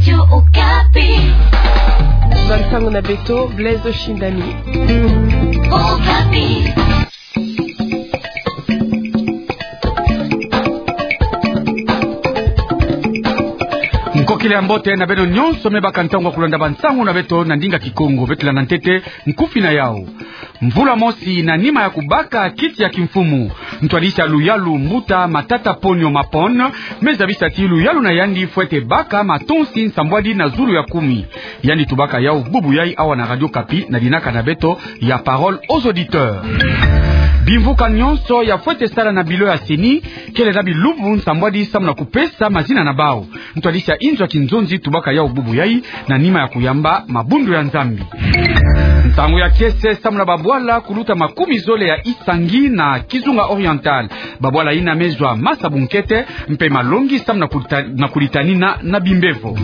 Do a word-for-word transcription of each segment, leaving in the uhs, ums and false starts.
Radio Okapi. Bansango na beto, Blaise Oshindani. Okapi. Nkokila ya mbote na beno nyonso me baka ntangu ya kulanda bansango na beto na ndinga Kikongo. Beto landa ntete nkufi na yau. Mvula mosi na nima ya kubaka kiti ya kimfumu, ntwadisi ya luyalu Mbuta Matata Ponyo Mapon me zabisa ti luyalu na yandi fwete baka matonsi nsambwadi na zulu ya kumi. Yandi tubaka yau bubu yai awa na Radio Okapi na dinaka na beto ya Parole aux auditeurs. Bimvuka nyonso ya fwete sala na bilo ya CENI kele na bilumbu nsambwadi samu na kupesa mazina na bau. Ntwadisi ya inzo ya kinzonzi tubaka yau bubu yai na nima ya kuyamba mabundu ya Nzambi. Ntangu ya kiese samu na babwala kuluta makumi zole ya Isangi na Kizunga Oriental. Babwala yina me zwa masa bunkete mpe malongi samu na kulita-, na kulitanina na bimbevo.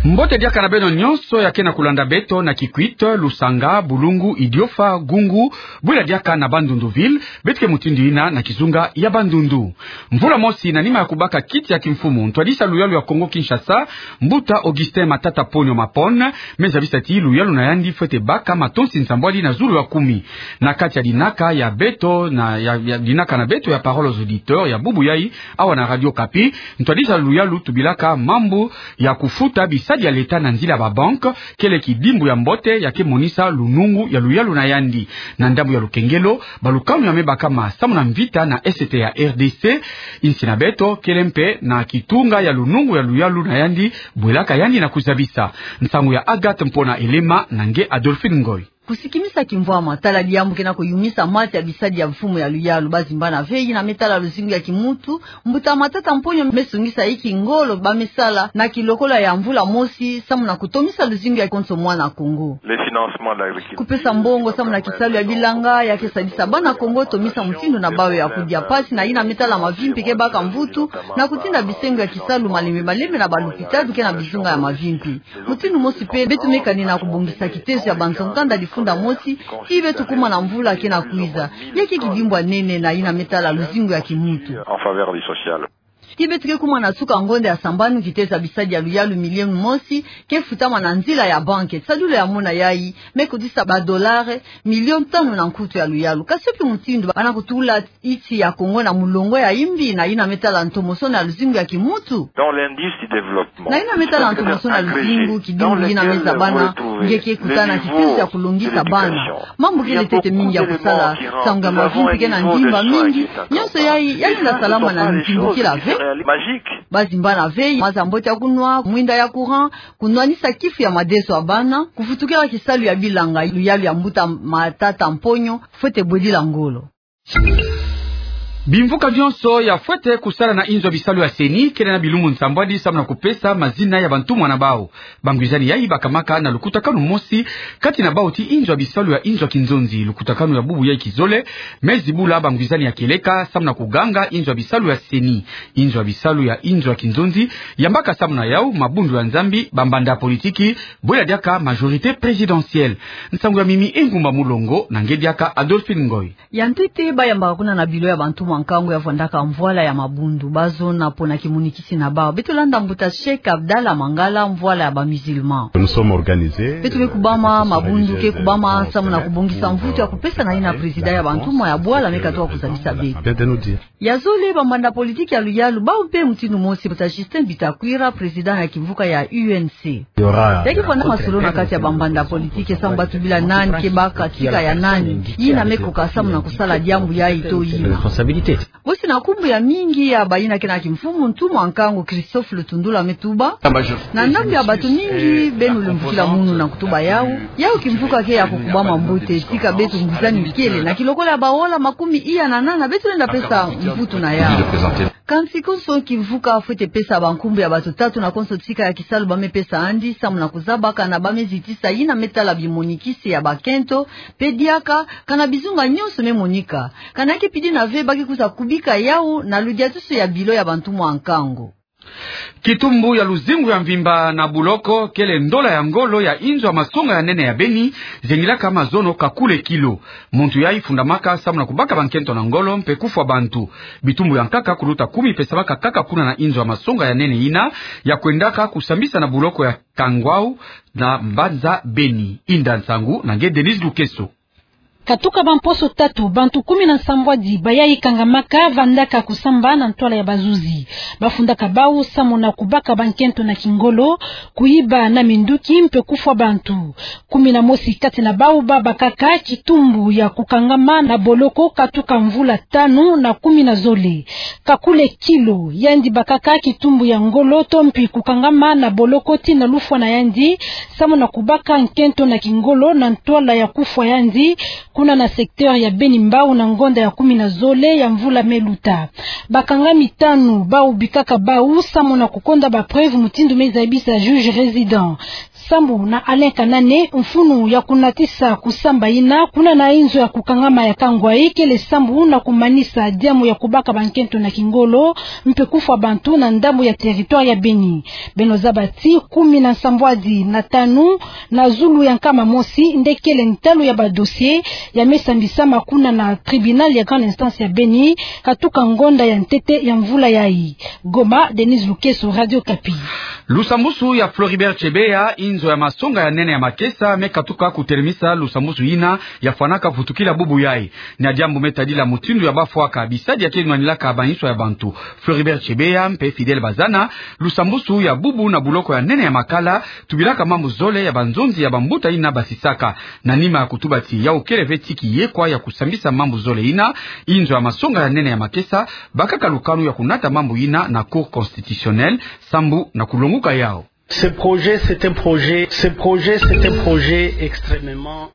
Mbote diaka na beno nyonso ya ke na kulanda beto na Kikwit, Lusanga, Bulungu, Idiofa, Gungu, bwila diaka na Bandundu-Ville, beto ke mutindu yina na kizunga ya Bandundu. Mvula mosi na nima ya kubaka kiti ya kimfumu, ntwadisi ya luyalu ya Kongo-Kinshasa, Mbuta Augustin Matata Ponyo Mapon, me zabisa ti luyalu na yandi fwete baka matonsi nsambwadi na zulu ya kumi. Na kati ya dinaka ya beto, na ya, ya dinaka na beto ya Parole aux auditeurs ya bubu yai awa na Radio Okapi, ntwadisi ya luyalu tubilaka mambu ya kufuta bisadi ya leta na nzila ya babanke kele kidimbu ya mbote ya ke monisa lunungu ya luyalu na yandi. Na ndambu ya lukengelo, balukanu ya me bakama samu na mvita na Est ya RDC, insi na beto, kele mpe na kitunga ya lunungu ya luyalu na yandi bwelaka yandi na kuzabisa. Nsangu ya Agathe Mpona Elema na nge Adolphine Ngoy. Kusikimisa kimvwama, tala diambu ke na kuyumisa mati ya bisadi ya mfumu ya luyalu. Bazimbana ve, yina me tala luzingu ya kimuntu, Mbuta Matata Ponyo me sungisa inki ngolo ba me sala na kilokola ya mvula mosi samu na kutomisa luzingu ya konso mwana Kongo. Le financement de l'agriculture. Kupesa mbongo samu na kisalu ya bilanga ya ke sadisa bana Kongo tomisa mutindu na bau ya kudia, pasi na yina me tala mavimpi ke baka mvutu na kutinda bisengo ya kisalu malembe malembe na balupitalu ke na bizunga ya mavimpi. Mutindu mosi mpe, beto me kanina kubongisa kitezo ya banzo-nkanda difunda mosi, ti beto kuma na mvula ke na kwiza. Ya ke kidimbu ya nene na yina me tala luzingu ya kimuntu. En faveur du social. Ti beto ke kuma na suka ngonda ya sambanu, kitezo ya bisadi ya luyalu milioni mosi ke futama na nzila ya banke. Sadulu ya mona yai, me kotisa ba dollars milioni tanu na nkutu ya luyalu. Kasi yo mpe mutindu ba na kutula insi ya Kongo na mulongo ya imbi na yina me tala ntomosono ya luzingu ya kimuntu. Dans l'indice du développement. Na yina me tala ntomosono ya luzingu, kidimbu yina me zabana, nge ke kutana kitezo ya kulongisa bana. Mambu kele ntete mingi ya kusala, nsangu ya mavimpi ke na ndimba mingi, nyonso yai, yai lenda salama na ntimbukila ve. Bazimbana ve, maza mbote ya kunwa, mwinda ya courant, kunwanisa kifu ya madeso ya bana, kufutukila kisalu ya bilanga, luyalu ya Mbuta Matata Ponyo fwete bwedila ngolo. Bimvuka nyonso ya fwete kusala na inzo ya bisalu ya CENI kele na bilumbu nsambwadi samu na kupesa mazina ya bantumwa na bau. Bangwizani yai bakamaka na lukutakanu mosi kati na bau ti inzo ya bisalu ya inzo ya kinzonzi. Lukutakanu ya bubu yai kizole me zibula bangwizani ya kieleka samu na kuganga inzo ya bisalu ya CENI. Inzo ya bisalu ya inzo ya kinzonzi yambaka samu na yau mabundu ya Nzambi, bambanda politiki, bwela diaka majorité présidentielle. Nsangu ya Mimi Engumba Mulongo na nge diaka Adolphine Ngoy. Ya ntete, bayambaka kuna na bilo ya bantumwa nkangu ya vwandaka mvwala ya mabundu, bazona pona kimonikisi na bau. Beto landa mbuta Cheikh Abdallah Mangala, mvwala ya ba musulmans. Nous sommes organisés. Beto ke kubama, mabundu ke kubama, samu na kubongisa mvutu ya kupesa na yina président ya bantumwa ya bwala me katuka kuzabisa beto. Bien de nous dire. Ya zole, bambanda politiki ya luyalu, bau mpe mutindu mosi, mbuta Justin Bitakwira, président ya kimvuka ya UNC. Ya ke vwanda masolo na kati ya bambanda politiki, samu ba tubila nani ke baka tika ya nani, yina me koka samu na kusala diambu yai to yina. Bosi na nkumbu ya mingi ya bayina ke na kimfumu, ntumwa nkangu Christophe Lutundula me tuba. Na ndambu ya bato mingi beno lemvukila munu na kutuba yau, yau kimvuka ke ya kukubama mbote, tika beto ngwizani kele, na kilokola ya baola makumi iya na nana, beto lenda pesa mvutu na yau. Kansi konso kimvuka fwete pesa bankumbu ya bato tatu na konso tika ya kisalu ba me pesa yandi, samu na kuzaba kana ba me zitisa yina me tala bimonikisi ya bakento, mpe diaka kana bizunga nyonso me monika, kana ke pidi na ve ba ke kwiza kubika yau na ludiatusu ya bilo ya bantumwa nkangu. Kitumbu ya luzingu ya mvimba na boloko kele ndola ya ngolo ya inzo ya masonga ya nene ya Beni, zengilaka mazono kakule kilo. Muntu yayi fundamaka samu na kubaka bankento na ngolo mpe kufwa bantu. Bitumbu ya nkaka kuluta kumi pesamaka kaka kuna na inzo ya masonga ya nene ina, ya kwendaka kusambisa na boloko ya Kangwau na mbanza Beni. Inda nsangu na nge Denise Lukeso. Katuka bamposo tatu, bantu kumi na nsambwadi bayayi kangamaka, vandaka kusamba na ntwala ya bazuzi. Bafundaka bau samu na kubaka bankento na kingolo, kuyiba na minduki mpe kufwa bantu. Kumi na mosi kati na bau babakaka kitumbu ya kukangama na boloko katuka mvula tanu na kumi na zole. Kakule Kilo, yandi bakaka kitumbu ya ngolo to mpi kukangama na boloko tii na lufwa na yandi, samu na kubaka nkento na kingolo na ntwala ya kufwa yandi, kuna na secteur ya Beni Mbau na ngonda ya kumi na zole ya mvula me luta. Bakangami tanu bau bikaka bau samu na kukonda ba preuve mutindu me zabisa juge résident. Sambu na Alain Kanane, mfunu ya kunatisa kusamba ina kuna na inzo ya kukangama ya Kangwai kele sambu na kumanisa diambu ya kubaka bankento na kingolo mpe kufwa bantu na ndambu ya territoire ya Beni. Beno zaba ti kumi na nsambwadi na tanu na zulu ya nkama mosi nde kele ntalu ya ba dossier ya me sambisama kuna na tribunal ya grande instance ya Beni, katuka ngonda ya ntete ya mvula yayi. Goma, Denise Lukeso, Radio Okapi. Lusambusu ya Floribert Chebeya, inzo ya masonga ya nene ya makesa, me katuka kutelemisa lusambusu ina ya fwanaka vutukila bubu yayi. Na diambu me tadila mutindu ya bafwaka bisadi ya ke nwanilaka bainso ya bantu. Floribert Chebeya mpe Fidèle Bazana, lusambusu ya bubu na boloko ya nene ya Makala, tubilaka mambu zole ya banzonzi ya bambuta ina basisaka. Na nima ya kutuba ti yau kele ve ti kiyekwa ya kusambisa mambu zole ina, inzo ya masonga ya nene ya makesa bakaka lukanu ya kunata mambu ina na Cour constitutionnelle, sambu na kulonguka yau. Ce projet, c'est un projet, ce projet, c'est un projet extrêmement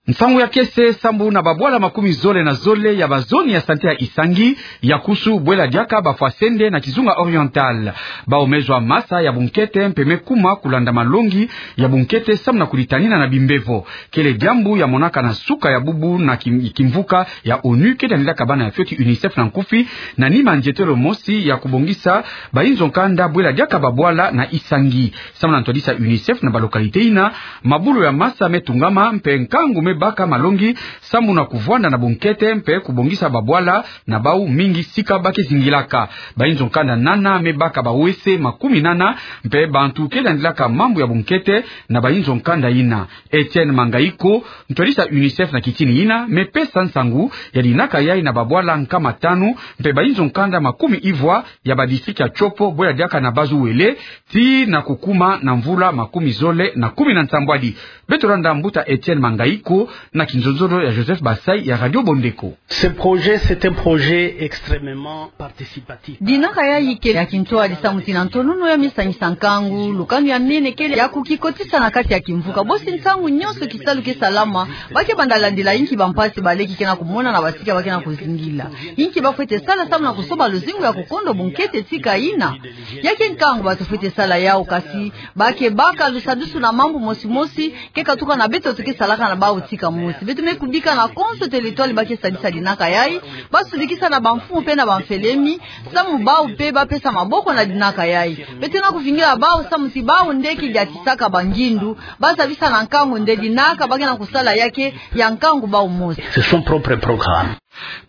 Nsangu ya kese, sambu na babwala makumi zole na zole ya bazoni ya sante ya Isangi, ya kusu bwela diaka bafwa sende na kizunga oriental. Bau me zwa masa ya bunkete mpe me kuma kulanda malongi ya bunkete samu na kulitanina na bimbevo. Kele diambu ya monaka na suka ya bubu na kim-, kimvuka ya onu, ke tandilaka bana ya fioti UNICEF na nkufi, na nima nzietelo mosi ya kubongisa bainzo nkanda bwela diaka babwala na Isangi. Samu na ntwadisa UNICEF, na balocalité ina, mabulu ya masa me tungama mpe nkangu me baka malongi samu na kuvwanda na bunkete mpe kubongisa babwala na bau mingi sika ba ke zingilaka. Bainzo nkanda nana me baka ba-WC makumi nana mpe bantu ke landilaka mambu ya bunkete na bainzo nkanda ina. Etienne Mangaiko, ntwadisa UNICEF na kitini ina, me pesa nsangu ya dinaka yayi na babwala nkama tanu mpe bainzo nkanda makumi ivwa ya badistrict ya Tshopo, bwela diaka na Bas-Uele, tii na kukuma na mvula makumi zole na kumi na nsambwadi. Beto landa mbuta Etienne Mangaiko na kinzonzolo ya Joseph Basai ya Radio Bondeko. Ce projet, c'est un projet extrêmement participatif. Dinaka yayi kele ya kintwadi samu ti na ntonono ya me sangisa nkangu, lukanu ya mene kele ya kukikotisa na kati ya kimvuka. Bosi ntangu nyonso kisalu ke salama, ba ke banda landila inki bampasi baleki ke na kumona na basika ba ke na kuzingila. Inki ba fwete sala samu na kusoba luzingu ya kukondo bunkete tika ina. Ya ke nkangu bato fwete sala yau, kasi ba ke baka lusadusu na mambu mosi mosi ke katuka na beto to ke salaka na bau tika mosi. Beto me kubika na konso teritwali ba ke sadisa dinaka yayi, ba sudikisa na bamfumu mpe na bamfelemi, samu bau mpe ba pesa maboko na dinaka yayi. Beto na kuvingila bau samu ti bau nde ke diatisaka bangindu, ba zabisa na nkangu nde dinaka ba ke na kusala ya ke ya nkangu bau mosi. C'est son propre programme.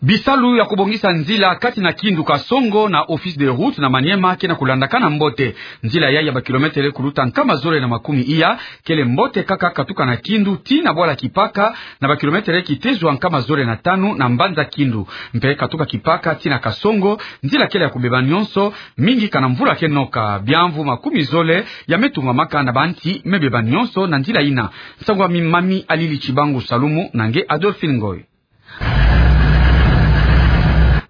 Bisalu ya kubongisa nzila kati na Kindu Kasongo na Office des Routes na Maniema ke na kulandaka na mbote. Nzila yayi ya bakilometele kuluta nkama zole na makumi iya, kele mbote kaka katuka na Kindu tii na bwala Kipaka, na bakilometele kite zwa nkama zole na tanu na mbanza Kindu. Mpe katuka Kipaka tii na Kasongo, nzila kele ya kubeba nyonso, mingi kana mvula ke noka. Biamvu makumi zole ya me tungamaka na banti me beba nyonso na nzila ina. Nsangu ya mi mami Alili Chibangu Salumu na nge Adolphine Ngoy.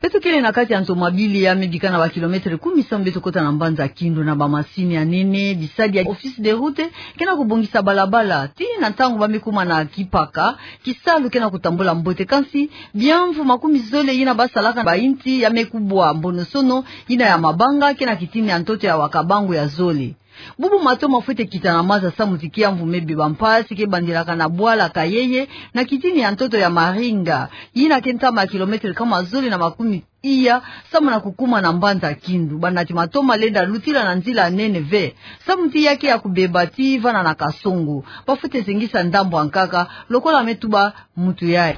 Beto kele na kati ya nzo mabili ya me bika na bakilometele kumi samu beto kota na mbanza Kindu na bamasini ya nene, bisadi ya Office des Routes ke na kubongisa balabala, tii na ntangu ba me kuma na Kipaka, kisalu ke na kutambula mbote. Kansi, biamvu makumi zole ina ba salaka bainti ya me kubwa mbonosono ina ya mabanga ke na kitini ya ntoto ya Wakabangu ya zole. Bubu mato ma fwete kita na maza samu ti kiamvu me beba mpasi ke bandilaka na bwala Kayeye na kitini ya ntoto ya Maringa, ina ke ntama ya kilometele nkama zole na makumi iya, samu na kukuma na mbanza Kindu. Banati matoma lenda lutila na nzila nene ve. Samu ti ya ke ya kubeba tii vana na Kasongo. Bafwete zengisa ndambu ya nkaka, lokola me tuba mutu yayi.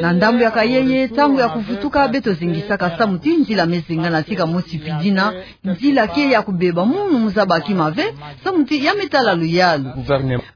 Na ndambu ya Kayeye, ntangu ya kuvutuka beto zengisaka samu ti nzila me zengana tika mosi pi dina, nzila ke ya kubeba, munu mu zaba kima ve, samu ti ya me tala luyalu.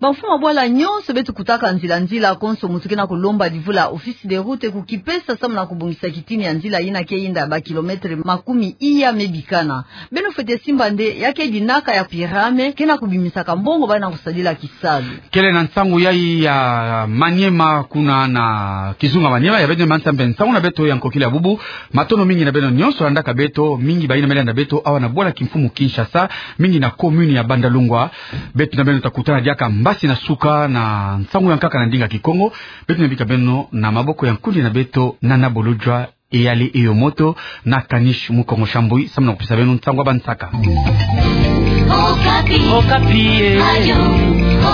Bamfumu ya bwala nyonso beto kutaka nzila nzila, konso mutu ke na kulomba divu la Office des Routes kukipesa samu na kubongisa kitini ya nzila yina ke yinda ba kilomètre makumi iya me bikana. Beno fwete simba nde ya ke dinaka ya pyramide ke na kubimisaka mbongo bayi na kusadila kisalu. Kele na nsangu yayi ya Maniema kuna na kizunga Maniema, ya beno manisa mpe nsangu na beto ya nkokila bubu. Matondo mingi na beno nyonso landaka beto, mingi bayina me landa beto awa na bwala kimfumu Kinshasa, mingi na commune ya Bandalungwa. Beto na beno ta kutana diaka mbasi na suka na nsangu ya nkaka na ndinga Kikongo. Beto na bika beno na maboko ya nkundi na beto Nana Bolodjwa, Eyali Eyomoto, na Kanish Mukongo Shambui, samu na kupesa beno nsangu ya bansaka. Okapi. Okapi, eh. Radio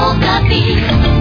Okapi.